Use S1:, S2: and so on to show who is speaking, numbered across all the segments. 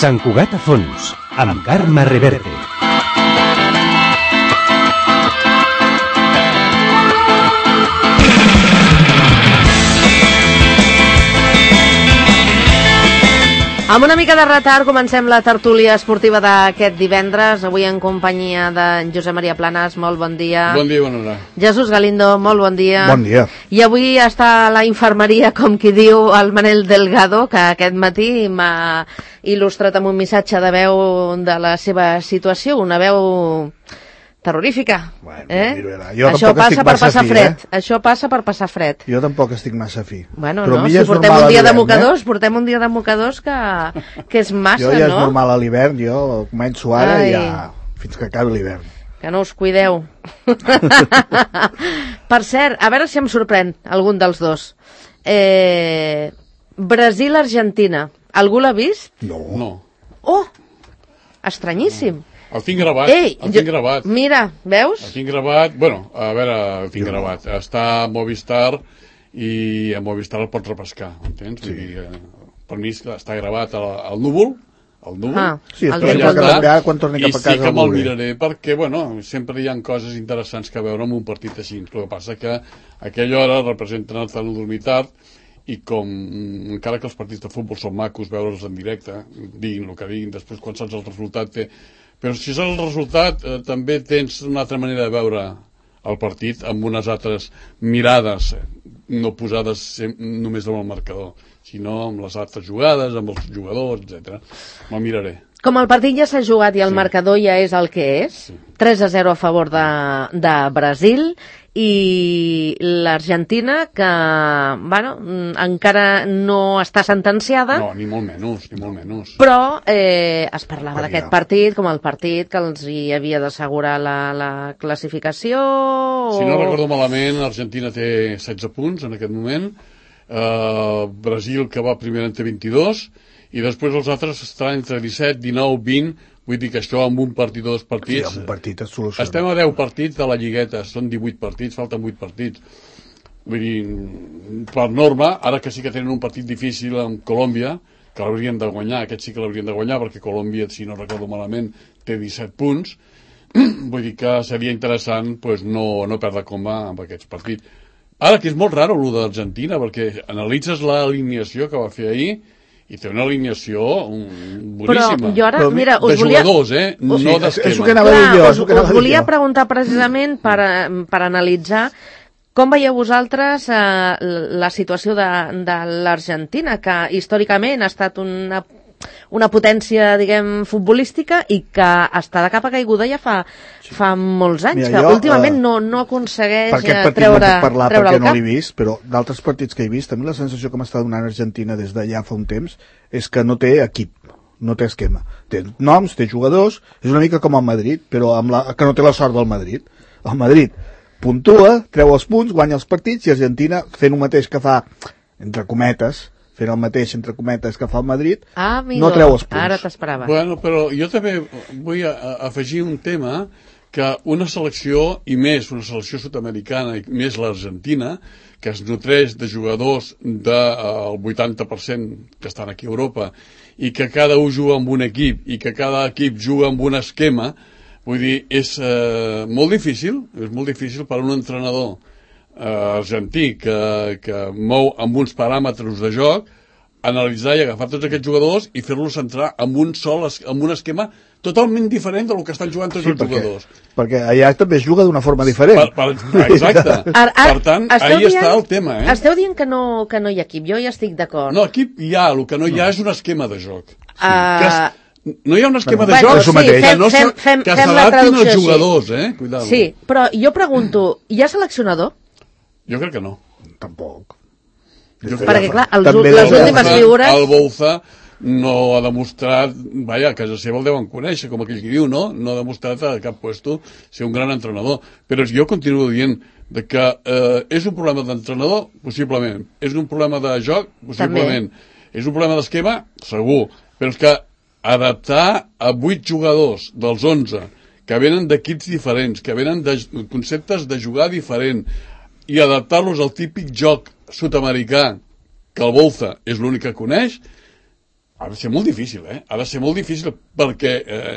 S1: Sant Cugat a fons, amb Carme Reverte.
S2: Amb una mica de retard comencem la tertúlia esportiva d'aquest divendres, avui en companyia de Josep Maria Planas, molt bon dia.
S3: Bon dia, bona hora.
S2: Jesús Galindo, molt bon dia.
S4: Bon dia.
S2: I avui està a la infermeria, com qui diu, el Manel Delgado, que aquest matí m'ha il·lustrat amb un missatge de veu de la seva situació, una veu terrorífica.
S4: Bueno,
S2: Això passa per passar fred. Això passa per passar fred.
S4: Jo tampoc estic massa fi.
S2: Bueno, però no, si portem un dia de mocadors, portem un dia de mocadors que és massa, no?
S4: Jo ja és normal a l'hivern, jo començo ara i ja fins que acabi l'hivern.
S2: Que no us cuideu. Per cert, a veure si em sorprèn algun dels dos. Brasil-Argentina. Algú l'ha vist?
S3: No.
S2: Oh! Estranyíssim.
S3: El tinc gravat, gravat.
S2: Mira, veus?
S3: El tinc gravat, bueno, a veure, el tinc gravat. Està a Movistar i a Movistar el pots repescar, entens?
S4: Sí.
S3: Vull dir, per mi està gravat al núvol,
S4: sí, espero que canviar quan torni cap a casa.
S3: I sí que me'l miraré perquè, bueno, sempre hi ha coses interessants que veure en un partit així. El que passa que a aquella hora representen el núvol militar i com, encara que els partits de futbol són macos, veure'ls en directe, diguin el que diguin, després quan saps el resultat Però si és el resultat, també tens una altra manera de veure el partit amb unes altres mirades, no posades només amb el marcador, sinó amb les altres jugades, amb els jugadors, etc. Me'l miraré.
S2: Com el partit ja s'ha jugat i el marcador ja és el que és, 3-0 a favor de Brasil, i l'Argentina, que bueno, encara no està sentenciada.
S3: No, ni molt menys.
S2: Però es parlava d'aquest partit com el partit que els hi havia d'assegurar la classificació.
S3: Si no recordo malament, Argentina té 16 punts en aquest moment, Brasil, que va primer, en té 22, i després els altres estaran entre 17, 19, 20, vull dir que això amb un partit o dos partits...
S4: Sí, amb un partit es soluciona.
S3: Estem a 10 partits de la lligueta, són 18 partits, falten 8 partits. Vull dir, per norma, ara que sí que tenen un partit difícil amb Colòmbia, que l'haurien de guanyar, aquest sí que l'haurien de guanyar, perquè Colòmbia, si no recordo malament, té 17 punts, vull dir que seria interessant no perdre coma amb aquests partits. Ara, que és molt raro el d'Argentina, perquè analitzes l'alineació que va fer ahir, i té una alineació boníssima.
S2: Però jo ara, mira,
S3: de jugadors, no d'esquema.
S2: Us volia preguntar precisament per analitzar com veieu vosaltres la situació de l'Argentina, que històricament ha estat una potència, diguem, futbolística i que està de capa caiguda ja fa molts anys. Mira, que últimament no aconsegueix treure el cap.
S4: Per aquest partit no puc parlar perquè no l'he vist, però d'altres partits que he vist, a mi la sensació que m'està donant Argentina des d'allà fa un temps és que no té equip, no té esquema. Té noms, té jugadors, és una mica com el Madrid, però que no té la sort del Madrid. El Madrid puntua, treu els punts, guanya els partits, i Argentina, fent el mateix que fa, entre cometes, fent el mateix, entre cometes, que fa el Madrid, no treu els punts.
S2: Ara t'esperava.
S3: Bueno, però jo també vull afegir un tema, que una selecció, i més una selecció sud-americana, i més l'Argentina, que es nutreix de jugadors del 80% que estan aquí a Europa, i que cada un juga amb un equip, i que cada equip juga amb un esquema, vull dir, és molt difícil per a un entrenador argentí que mou amb uns paràmetres de joc, analitzar i agafar tots aquests jugadors i fer-los entrar amb un esquema totalment diferent del que estan jugant tots els jugadors.
S4: Perquè allà també es juga d'una forma diferent.
S3: Exacte. Per tant, ahí està el tema.
S2: Esteu dient que no hi ha equip, jo ja estic d'acord.
S3: No, equip hi ha, el que no hi ha és un esquema de joc. No hi ha un esquema de joc que s'adaptin als jugadors, cuidado.
S2: Sí, però jo pregunto, hi ha seleccionador?
S3: Jo crec que no.
S4: Tampoc.
S2: Perquè, clar, les últimes figures...
S3: El Bouza no ha demostrat, a casa seva el deuen conèixer, com aquell que diu, no? No ha demostrat a cap puesto ser un gran entrenador. Però jo continuo dient que és un problema d'entrenador, possiblement. És un problema de joc, possiblement. És un problema d'esquema, segur. Però és que adaptar a 8 jugadors dels 11 que venen d'equips diferents, que venen de conceptes de jugar diferent, i adaptar-los al típic joc sud-americà, que el Bouza és l'únic que coneix, Ha de ser molt difícil, Ha de ser molt difícil perquè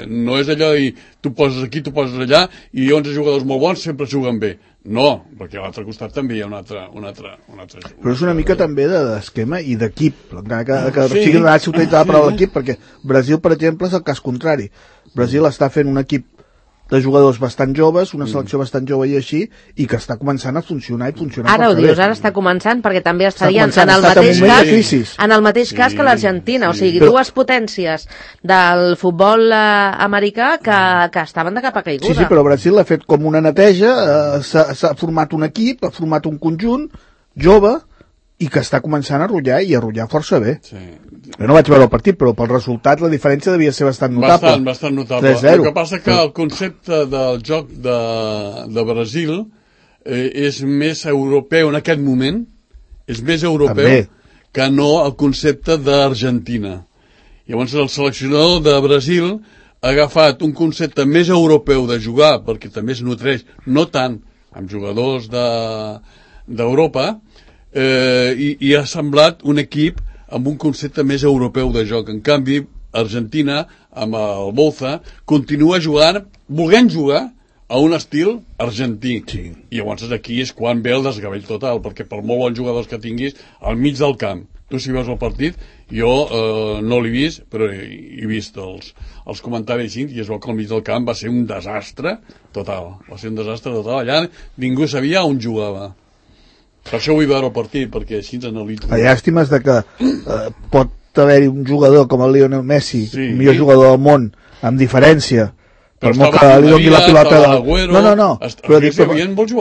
S3: no és allò de dir tu poses aquí, tu poses allà i 11 jugadors molt bons sempre juguen bé. No, perquè a l'altre costat també hi ha un altre...
S4: Però és una mica també d'esquema i d'equip, encara que sigui una s'utilitza la paraula equip, perquè Brasil, per exemple, és el cas contrari. Brasil està fent un equip de jugadors bastant joves, una selecció bastant jove i així, i que està començant a funcionar i funcionar
S2: ara ho dius, ara està començant, perquè també estarien en el mateix cas que l'Argentina, o sigui, dues potències del futbol americà que estaven de capa caiguda.
S4: Sí, però Brasil ha fet com una neteja, s'ha format un equip, ha format un conjunt jove, i que està començant a rotllar i a rotllar força bé.
S3: Sí.
S4: Jo no vaig veure el partit, però pel resultat la diferència devia ser bastant notable.
S3: Bastant notable.
S4: 3-0.
S3: El que passa que el concepte del joc de Brasil és més europeu en aquest moment, és més europeu
S4: també,
S3: que no el concepte d'Argentina. Llavors el seleccionador de Brasil ha agafat un concepte més europeu de jugar, perquè també es nutreix, no tant amb jugadors d'Europa, i ha semblat un equip amb un concepte més europeu de joc. En canvi, Argentina, amb el Bouza, continua jugant, volent jugar a un estil argentí.
S4: Sí.
S3: I llavors aquí és quan ve el desgavell total, perquè per molt bons jugadors que tinguis, al mig del camp, tu si veus el partit, jo no l'he vist, però he vist els comentaris i es veu que al mig del camp va ser un desastre total. Va ser un desastre total. Allà ningú sabia on jugava. Per això vull veure el partit, perquè així ens analitzo.
S4: La llàstima és que pot haver-hi un jugador com el Lionel Messi,
S3: sí,
S4: el millor jugador del món, amb diferència, per molt que li doni la pilota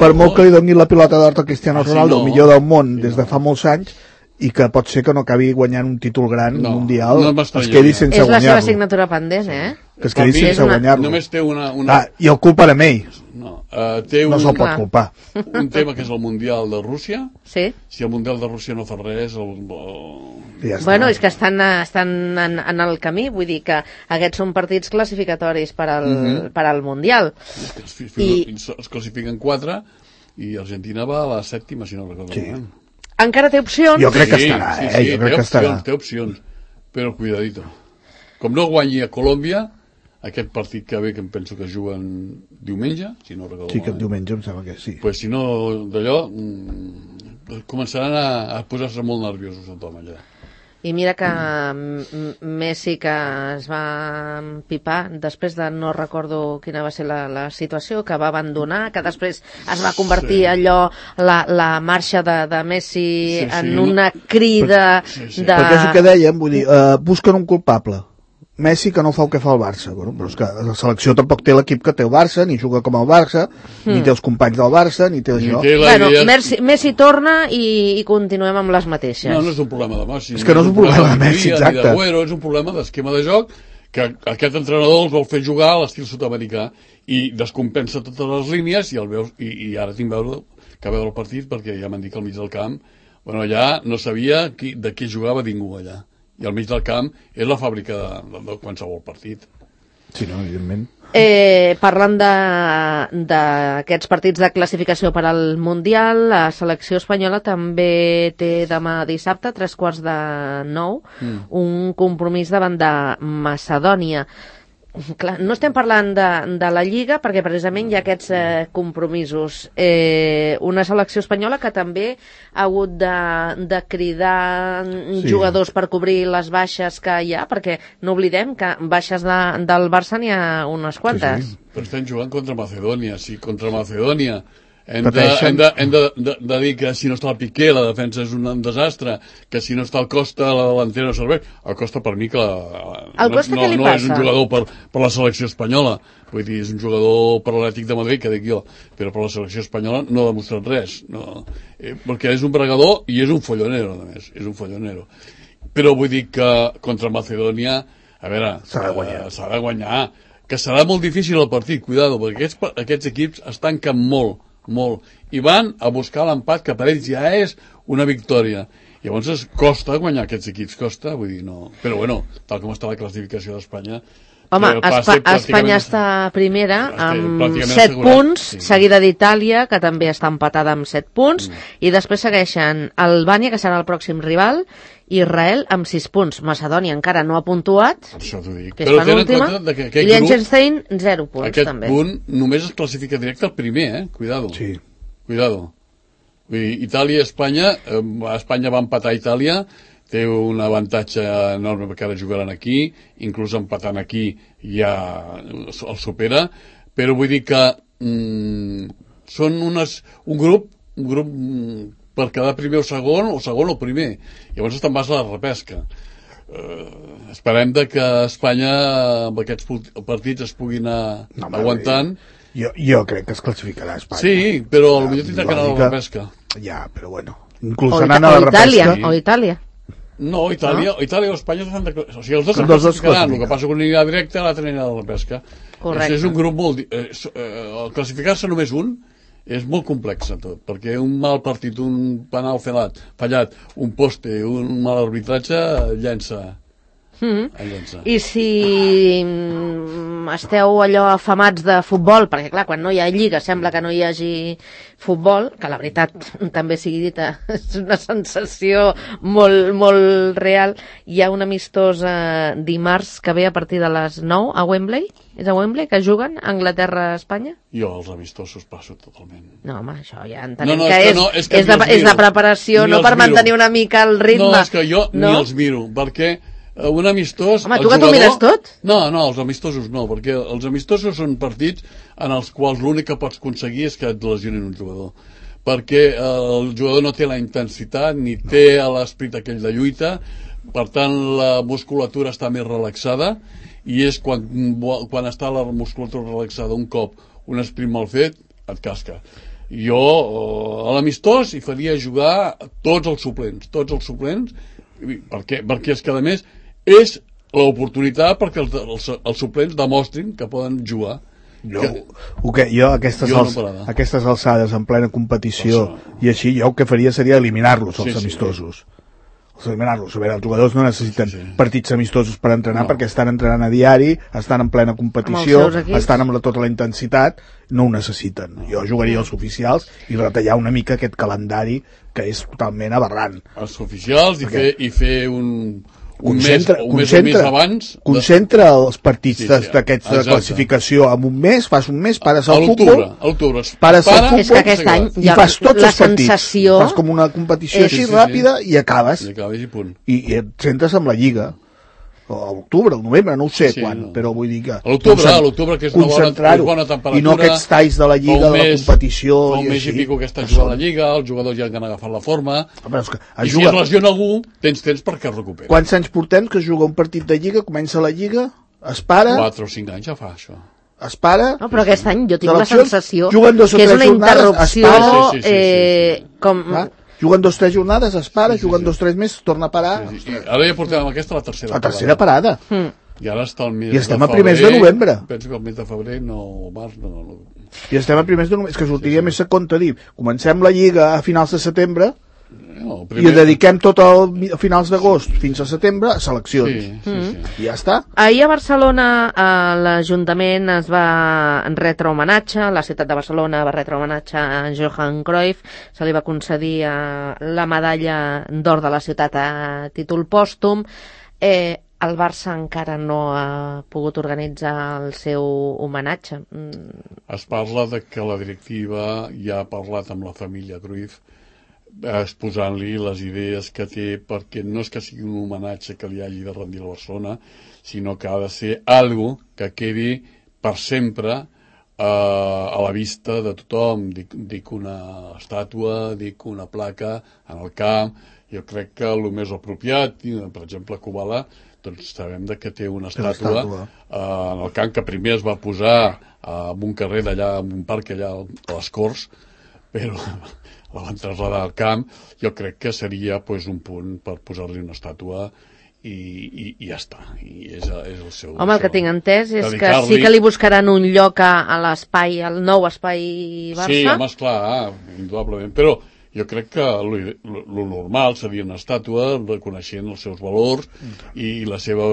S4: per molt que li doni la pilota d'or a Cristiano Ronaldo, el millor del món des de fa molts anys, i que pot ser que no acabi guanyant un títol gran mundial, es quedi sense guanyar-lo.
S2: És la seva assignatura pendent,
S4: que es quedi sense guanyar-lo.
S3: Només té
S4: i el culpen a ell.
S3: No
S4: se'l pot culpar.
S3: Un tema que és el Mundial de Rússia.
S2: Sí.
S3: Si el Mundial de Rússia no fa res...
S2: Bueno, és que estan en el camí, vull dir que aquests són partits classificatoris per al Mundial.
S3: Es classifiquen 4 i Argentina va a la 7ª, si no recordo.
S4: Sí.
S2: Encara té opcions?
S4: Jo crec que estarà, jo crec que estarà.
S3: Té opcions, però cuidadito. Com no guanyi a Colòmbia, aquest partit que ve, que em penso que juguen diumenge, si no recordo.
S4: Sí, aquest diumenge em sembla que sí.
S3: Pues si no, d'allò, començaran a posar-se molt nerviosos a tothom allà.
S2: I mira que Messi, que es va empipar després de no recordo quina va ser la situació, que va abandonar, que després es va convertir allò, la marxa de Messi en una crida de...
S4: Perquè és el que dèiem, vull dir, busquen un culpable. Messi que no fa el que fa el Barça, bueno, però és que la selecció tampoc té l'equip que té el Barça, ni juga com el Barça, ni té els companys del Barça, ni té això.
S2: Bueno, Messi torna i continuem amb les mateixes.
S3: No és un problema de Messi.
S4: És que no és un problema de Messi, exacte.
S3: És un problema d'esquema de joc que aquest entrenador els vol fer jugar a l'estil sud-americà i descompensa totes les línies i ara tinc que veure el partit perquè ja m'han dit que al mig del camp allà no sabia de qui jugava ningú allà. I al mig del camp és la fàbrica de qualsevol partit.
S4: Sí, no, evidentment.
S2: Parlant d'aquests partits de classificació per al Mundial, la selecció espanyola també té demà dissabte, 8:45, un compromís davant de Macedònia. Clar, no estem parlant de la Lliga perquè precisament hi ha aquests compromisos. Una selecció espanyola que també ha hagut de cridar jugadors per cobrir les baixes que hi ha, perquè no oblidem que baixes del Barça n'hi ha unes quantes.
S3: Sí. Però estem jugant contra Macedònia. Si contra Macedònia hem de dir que si no està el Piqué la defensa és un desastre, que si no està el Costa la delantera no serveix. El Costa per mi que no és un jugador per la selecció espanyola, vull dir, és un jugador per l'Atlètic de Madrid, que dic jo, però per la selecció espanyola no ha demostrat res, perquè és un bregador i és un follonero, a més, és un follonero. Però vull dir que contra Macedònia, a veure, s'ha de guanyar, que serà molt difícil el partit, cuidado, perquè aquests equips es tanquen molt, i van a buscar l'empat, que per ells ja és una victòria. Llavors costa guanyar aquests equips, costa, vull dir, no. Però bueno, tal com està la classificació d'Espanya...
S2: Home, Espanya està primera amb 7 punts, seguida d'Itàlia, que també està empatada amb 7 punts, i després segueixen Albània, que serà el pròxim rival, Israel amb 6 punts. Macedònia encara no ha puntuat,
S3: Per això t'ho dic.
S2: que és
S3: Però tenen en
S2: penúltima,
S3: compte que
S2: i
S3: aquest grup,
S2: Liechtenstein 0 punts,
S3: aquest
S2: també.
S3: punt només es classifica directe al primer, Cuidado.
S4: Sí.
S3: Cuidado. Vull dir, Itàlia i Espanya, Espanya va empatar a Itàlia, té un avantatge enorme perquè ara jugaran aquí, inclús empatant aquí ja el supera, però vull dir que són un grup per quedar primer o segon o primer. Llavors te'n vas a la repesca. Esperem que Espanya amb aquests partits es puguin anar aguantant.
S4: Jo crec que es classificarà Espanya.
S3: Sí, però potser tindrà que anar a la repesca.
S4: Ja, però bueno. Inclús anant a la repesca...
S2: O Itàlia.
S3: No, Itàlia o Espanya s'han de... O sigui, els dos
S4: Els
S3: es
S2: Ah.
S4: dos
S3: classificaran. El
S4: classifiquen.
S3: que passa que un anirà directe, l'altre anirà a la repesca.
S2: Correcte.
S3: És un grup molt... classificar-se només un és molt complex tot, perquè un mal partit, un penal fallat, un poste, un mal arbitratge, llença.
S2: I si esteu allò afamats de futbol, perquè clar, quan no hi ha lliga sembla que no hi hagi futbol, que la veritat també sigui dita, és una sensació molt, molt real. Hi ha un amistós dimarts que ve a partir de les 9 a Wembley. És a Wembley que juguen Anglaterra-Espanya?
S3: Jo els amistosos passo totalment.
S2: No, home, això ja entenem
S3: No, és
S2: que és de preparació, no per mantenir una mica el ritme.
S3: No, és que jo ni els miro, perquè un amistós...
S2: Home, tu que t'ho mires tot?
S3: No, els amistosos no, perquè els amistosos són partits en els quals l'únic que pots aconseguir és que et lesionin un jugador. Perquè el jugador no té la intensitat ni té l'esperit aquell de lluita, per tant la musculatura està més relaxada, i és quan està la musculatura relaxada un cop un sprint mal fet, et casca. Jo a l'amistós hi faria jugar tots els suplents, perquè és que a més és l'oportunitat perquè els suplents demostrin que poden jugar.
S4: Jo aquestes alçades en plena competició i així, jo el que faria seria eliminar-los, els amistosos. Els jugadors no necessiten partits amistosos per entrenar, perquè estan entrenant a diari, estan en plena competició, estan amb tota la intensitat, no ho necessiten. Jo jugaria els oficials i retallar una mica aquest calendari que és totalment aberrant.
S3: Els oficials i fer un mes o més abans...
S4: Concentra els partits d'aquests de classificació en un mes, fas un mes, pares al futbol...
S3: A l'octubre.
S4: Pares al futbol...
S2: És que aquest any
S4: i fas tots els partits.
S2: Sensació...
S4: Fas com una competició així ràpida i acabes.
S3: I punt.
S4: I et centres amb la Lliga. A l'octubre, al novembre, no ho sé quan, però vull dir que...
S3: A l'octubre, que és una bona temperatura...
S4: I no aquests talls de la Lliga, de la competició...
S3: Fa un mes i pico que està jugant la Lliga, els jugadors ja han agafat la forma... I si es lesiona algú, tens temps perquè es recuperi.
S4: Quants anys portem que es juga un partit de Lliga, comença la Lliga, es para...
S3: 4 o 5 anys ja fa, això.
S4: Es para...
S2: No, però aquest any jo tinc la sensació
S4: que
S2: és una interrupció com...
S4: Juguen 2 o 3 jornades, es para, juguen 2 o 3 mesos, torna a parar...
S3: Ara ja portem aquesta la tercera parada.
S4: La tercera parada.
S3: I ara està el mes de febrer...
S4: I estem a primers de novembre.
S3: Penso que el mes de febrer, març, no...
S4: I estem a primers de novembre. És que sortiria més a compte dir, comencem la Lliga a finals de setembre i dediquem tot a finals d'agost fins a setembre a seleccions. I ja està.
S2: Ahir a Barcelona l'Ajuntament es va retre homenatge, la ciutat de Barcelona va retre homenatge a Johan Cruyff, se li va concedir la medalla d'or de la ciutat a títol pòstum. El Barça encara no ha pogut organitzar el seu homenatge.
S3: Es parla de que la directiva ja ha parlat amb la família Cruyff, exposant-li les idees que té, perquè no és que sigui un homenatge que li hagi de rendir a Barcelona, sinó que ha de ser algo que quedi per sempre a la vista de tothom. Dic una estàtua, dic una placa en el camp. Jo crec que el més apropiat, per exemple, Kubala, doncs sabem que té una estàtua en el camp, que primer es va posar en un carrer d'allà, en un parc allà a les Corts, però la van traslladar al camp. Jo crec que seria un punt per posar-li una estàtua i ja està. I és el seu...
S2: Home, el que tinc entès és que sí que li buscaran un lloc a l'espai, al nou espai Barça.
S3: Sí, home, esclar, indudablement, però jo crec que lo normal seria una estàtua reconeixent els seus valors i la seva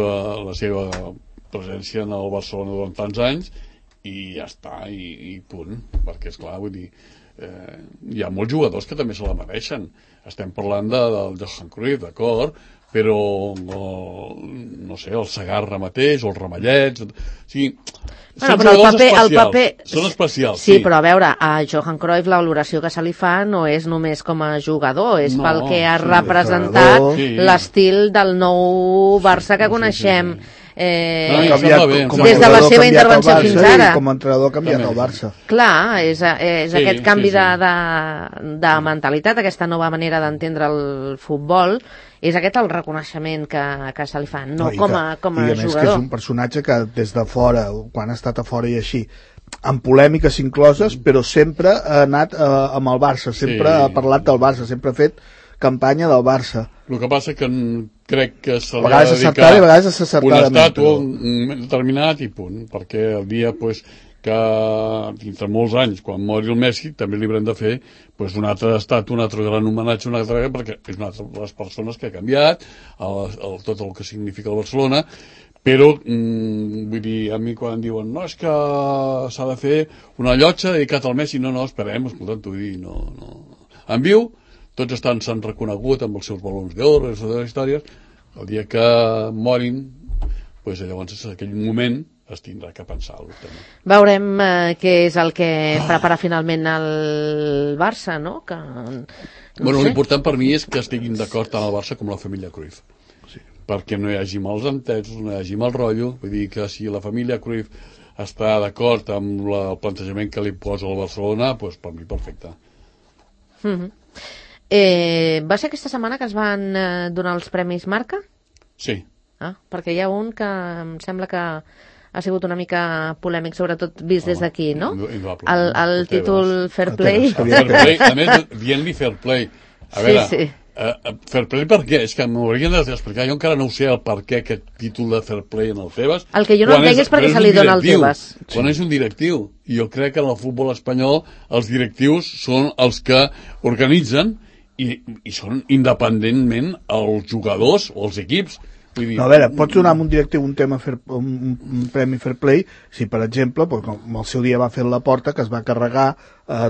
S3: presència en el Barcelona durant tants anys, i ja està, i punt, perquè esclar, vull dir, hi ha molts jugadors que també se la mereixen. Estem parlant del Johan Cruyff, d'acord, però no sé, el Segarra mateix, o els Ramallets, o sigui,
S2: Bueno, però el paper...
S3: Són especials,
S2: sí. Però a veure, a Johan Cruyff la valoració que se li fa no és només com a jugador, és pel que ha representat l'estil del nou Barça que coneixem. Des de la seva intervenció fins ara.
S4: Com a entrenador ha canviat el Barça.
S2: Clar, és aquest canvi de mentalitat, aquesta nova manera d'entendre el futbol, és aquest el reconeixement que se li fa, no com a jugador.
S4: I a més que és un personatge que des de fora, quan ha estat a fora i així, amb polèmiques incloses, però sempre ha anat amb el Barça, sempre ha parlat del Barça, sempre ha fet campanya del Barça.
S3: El que passa que crec que se li
S4: ha dedicat
S3: una estàtua, un determinat i punt, perquè el dia que dintre molts anys, quan mori el Messi, també li haurem de fer un altre estàtua, un altre gran homenatge, perquè és una altra de les persones que ha canviat tot el que significa el Barcelona, però vull dir, a mi quan em diuen no, és que s'ha de fer una llotja dedicat al Messi, no, esperem, escolta'm, t'ho vull dir, no. En viu, tots s'han reconegut amb els seus balons d'or, les seves històries, el dia que morin, llavors en aquell moment es tindrà que pensar-ho.
S2: Veurem què és el que prepara finalment el Barça, no?
S3: L'important per mi és que estiguin d'acord tant el Barça com la família Cruyff. Perquè no hi hagi mals entesos, no hi hagi mal rotllo, vull dir que si la família Cruyff està d'acord amb el plantejament que li posa el Barcelona, doncs per mi perfecte.
S2: Va ser aquesta setmana que es van donar els Premis Marca?
S3: Sí.
S2: Perquè hi ha un que em sembla que ha sigut una mica polèmic, sobretot vist des d'aquí, no? El títol Fair Play.
S3: A més, dient-li Fair Play. A veure, Fair Play per què? És que m'haurien d'explicar, jo encara no ho sé el per què aquest títol de Fair Play en el Tebas.
S2: El que jo no entenc és perquè se li dona al Tebas.
S3: Quan és un directiu. I jo crec que en el futbol espanyol els directius són els que organitzen i són independentment els jugadors o els equips.
S4: No, a veure, pots donar amb un directiu un premi Fair Play si, per exemple, com el seu dia va fer la Porta, que es va carregar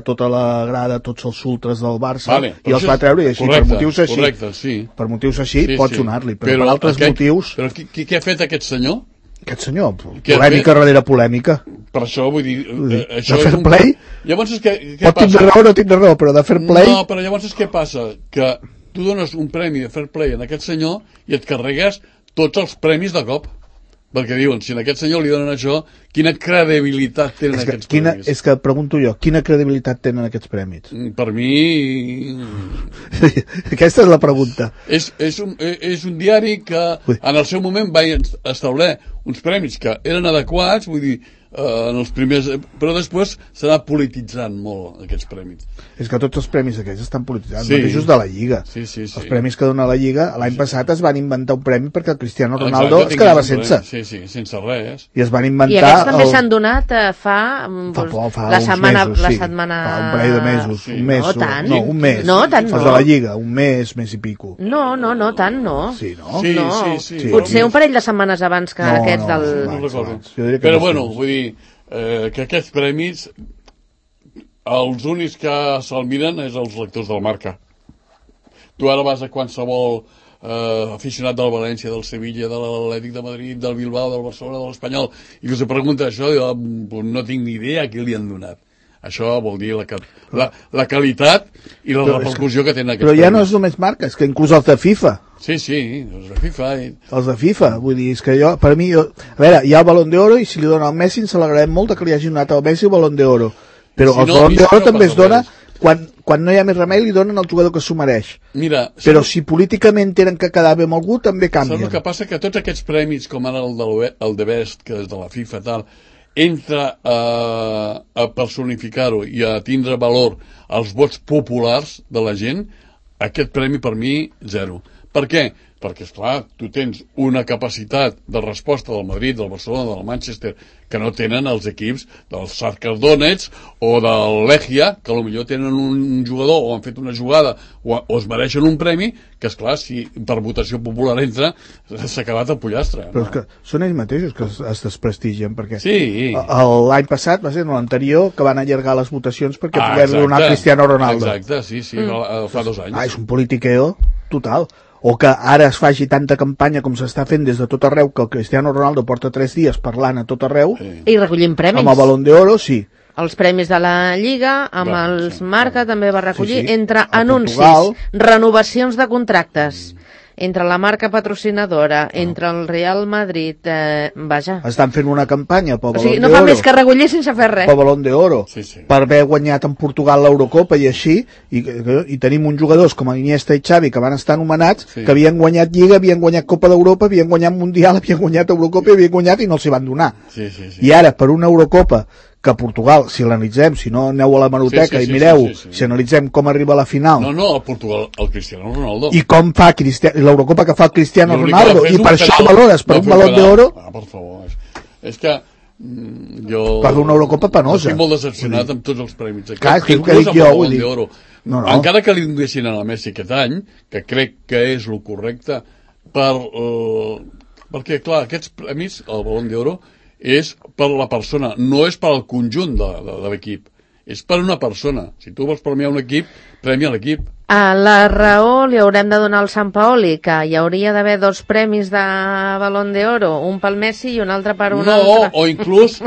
S4: tota la grada, tots els ultres del Barça, i els va treure, i així, per motius així, pots donar-li, però per altres motius...
S3: Però què ha fet aquest senyor?
S4: Aquest senyor, polèmica darrere polèmica.
S3: Per això, vull dir...
S4: De Fair Play?
S3: Llavors és que...
S4: Pot tindre raó o no tindre raó, però de Fair Play...
S3: No, però llavors és què passa? Que tu dones un premi de Fair Play a aquest senyor i et carregues tots els premis de cop. Perquè diuen, si a aquest senyor li donen això, quina credibilitat tenen aquests premis?
S4: És que pregunto jo, quina credibilitat tenen aquests premis?
S3: Per mi...
S4: Aquesta és la pregunta.
S3: És un diari que en el seu moment va establir uns premis que eren adequats, vull dir, en els primers... Però després s'ha anat polititzant molt aquests premis.
S4: És que tots els premis aquests estan polititzats, mateixos de la Lliga.
S3: Sí.
S4: Els premis que dona la Lliga, l'any passat es van inventar un premi perquè el Cristiano Ronaldo es quedava sense.
S3: Sí, sense res.
S4: I es van inventar...
S2: I aquests també s'han donat fa la setmana...
S4: Fa un parell de mesos. Un mes.
S2: No tant.
S4: No, un mes.
S2: No, tant no.
S4: Els de la Lliga, un mes i pico.
S2: No, tant no.
S4: Sí, no?
S3: Sí.
S2: Potser un parell de setmanes abans que aquests del...
S3: No recordo. Però bueno, vull dir que aquests premis els únics que se'l miren és els lectors del Marca. Tu ara vas a qualsevol aficionat del València, del Sevilla, de l'Atlètic de Madrid, del Bilbao, del Barcelona, de l'Espanyol, i que us pregunta això, jo no tinc ni idea a qui li han donat. Això vol dir la qualitat i la repercussió que tenen aquests
S4: premis. Però ja no és només Marca, és que inclús els de FIFA.
S3: Sí, els de FIFA.
S4: Els de FIFA, vull dir, és que per mi, a veure, hi ha el Balón d'Oro i si li dona al Messi ens alegrarem molt que li hagi donat al Messi el Balón d'Oro. Però el Balón d'Oro també es dona quan no hi ha més remei, li donen al jugador que s'ho mereix. Però si políticament tenen que quedar bé amb algú, també canvien.
S3: Saps el que passa? Que tots aquests premis, com ara el de Best, que és de la FIFA, tal, entra a personificar-ho i a tindre valor als vots populars de la gent, aquest premi per mi, 0. Per què? Perquè, esclar, tu tens una capacitat de resposta del Madrid, del Barcelona, del Manchester, que no tenen els equips del Shakhtar Donetsk o del Legia, que potser tenen un jugador o han fet una jugada o es mereixen un premi, que, esclar, si per votació popular entra, s'ha acabat el pollastre.
S4: Però és que són ells mateixos que es desprestigien, perquè
S3: sí.
S4: L'any passat, va ser l'anterior, que van allargar les votacions perquè pogués donar Cristiano Ronaldo.
S3: Exacte, sí, fa 2 anys.
S4: És un politiqueo total. o que ara es faci tanta campanya com s'està fent des de tot arreu, que el Cristiano Ronaldo porta 3 dies parlant a tot arreu,
S2: I recollint premis.
S4: amb el Balón d'Oro, sí.
S2: Els premis de la Lliga, amb els Marca també va recollir, entre
S4: A
S2: anuncis,
S4: Portugal.
S2: renovacions de contractes, entre la marca patrocinadora, entre el Real Madrid, vaja.
S4: Estan fent una campanya pel
S2: O
S4: Balón
S2: sigui,
S4: d'Oro.
S2: no fa més que recollir sense fer res.
S4: Pel Balón d'Oro,
S3: Sí, sí.
S4: per haver guanyat en Portugal l'Eurocopa i així, i tenim uns jugadors com Iniesta i Xavi que van estar anomenats,
S3: Sí.
S4: que havien guanyat Lliga, havien guanyat Copa d'Europa, havien guanyat Mundial, havien guanyat Eurocopa i havien guanyat i no els hi van donar.
S3: Sí, sí, sí.
S4: I ara, per una Eurocopa, que Portugal, si l'analitzem, si no aneu a la hemeroteca
S3: Sí, sí,
S4: i mireu,
S3: sí.
S4: si analitzem com arriba a la final,
S3: No, a Portugal, el Cristiano Ronaldo.
S4: i com fa l'Eurocopa que fa el Cristiano
S3: L'únic que va
S4: Ronaldo,
S3: fer és
S4: i
S3: un
S4: per això
S3: penal.
S4: valores per
S3: Va
S4: un
S3: fer un
S4: Balón
S3: penal.
S4: d'Oro,
S3: Per favor. És que jo...
S4: per una Eurocopa penosa.
S3: Estic molt decepcionat amb tots els premis.
S4: Clar, és que és el que
S3: Inclús
S4: dic
S3: amb
S4: jo,
S3: el
S4: vull
S3: Balón
S4: dir.
S3: d'Oro.
S4: No.
S3: Encara que li donguessin a la Messi aquest any, que crec que és el correcte, perquè, clar, aquests premis, el Balón d'Oro, és per la persona, no és per al conjunt de l'equip. És per una persona. Si tu vols premiar un equip, premia l'equip.
S2: A la raó li haurem de donar al Sant Paoli, que hi hauria d'haver 2 premis de Balón d'Oro, un pel Messi i un altre per un altre.
S3: No, o inclús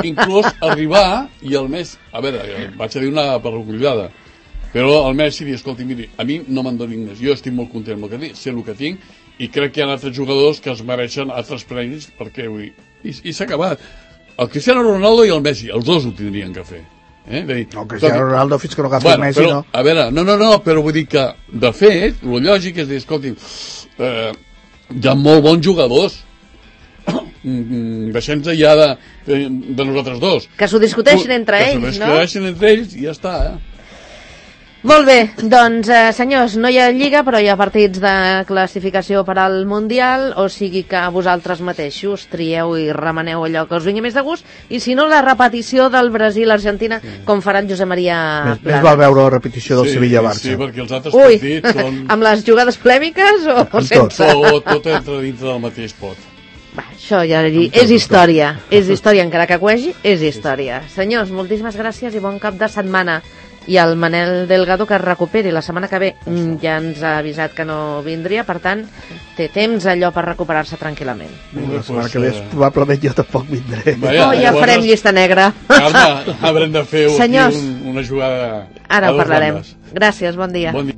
S3: arribar i el Messi... A veure, vaig a dir una perrullada, però el Messi dir, escolti, miri, a mi no me'n donin més, jo estic molt content amb el que tinc, sé el que tinc, i crec que hi ha altres jugadors que es mereixen altres premis, perquè vull dir, i s'ha acabat. El Cristiano Ronaldo i el Messi, els dos ho tindrien que fer.
S4: No, Cristiano Ronaldo fins que no agafi el Messi,
S3: però,
S4: no.
S3: A veure, no, però vull dir que, de fet, el lògic és dir, escolti, hi ha molt bons jugadors, deixem-nos ja de nosaltres dos.
S2: Que s'ho discuteixin entre ells, no?
S3: Que s'ho discuteixin entre ells i ja està,
S2: Molt bé, doncs, senyors, no hi ha Lliga, però hi ha partits de classificació per al Mundial, o sigui que vosaltres mateixos trieu i remeneu allò que us vingui més de gust, i si no, la repetició del Brasil-Argentina, com farà en Josep Maria
S4: Més
S2: Plana.
S4: val veure la repetició del Sevilla-Barça.
S3: Sí, perquè els altres
S2: Ui,
S3: partits són...
S2: amb les jugades polèmiques o
S4: Amb
S2: sense?
S3: Tot entra dintre del mateix pot.
S2: Va, això ja és història, encara que cuegi, és història. Senyors, moltíssimes gràcies i bon cap de setmana. I el Manel Delgado que es recuperi la setmana que ve, ja ens ha avisat que no vindria, per tant té temps allò per recuperar-se tranquil·lament.
S4: La setmana que ve probablement jo tampoc vindré.
S2: Ja farem llista negra.
S3: Carme, haurem de fer
S2: Senyors,
S3: una jugada
S2: ara
S3: a
S2: ho
S3: dos
S2: parlarem.
S3: bandes.
S2: Gràcies, bon dia.
S3: Bon dia.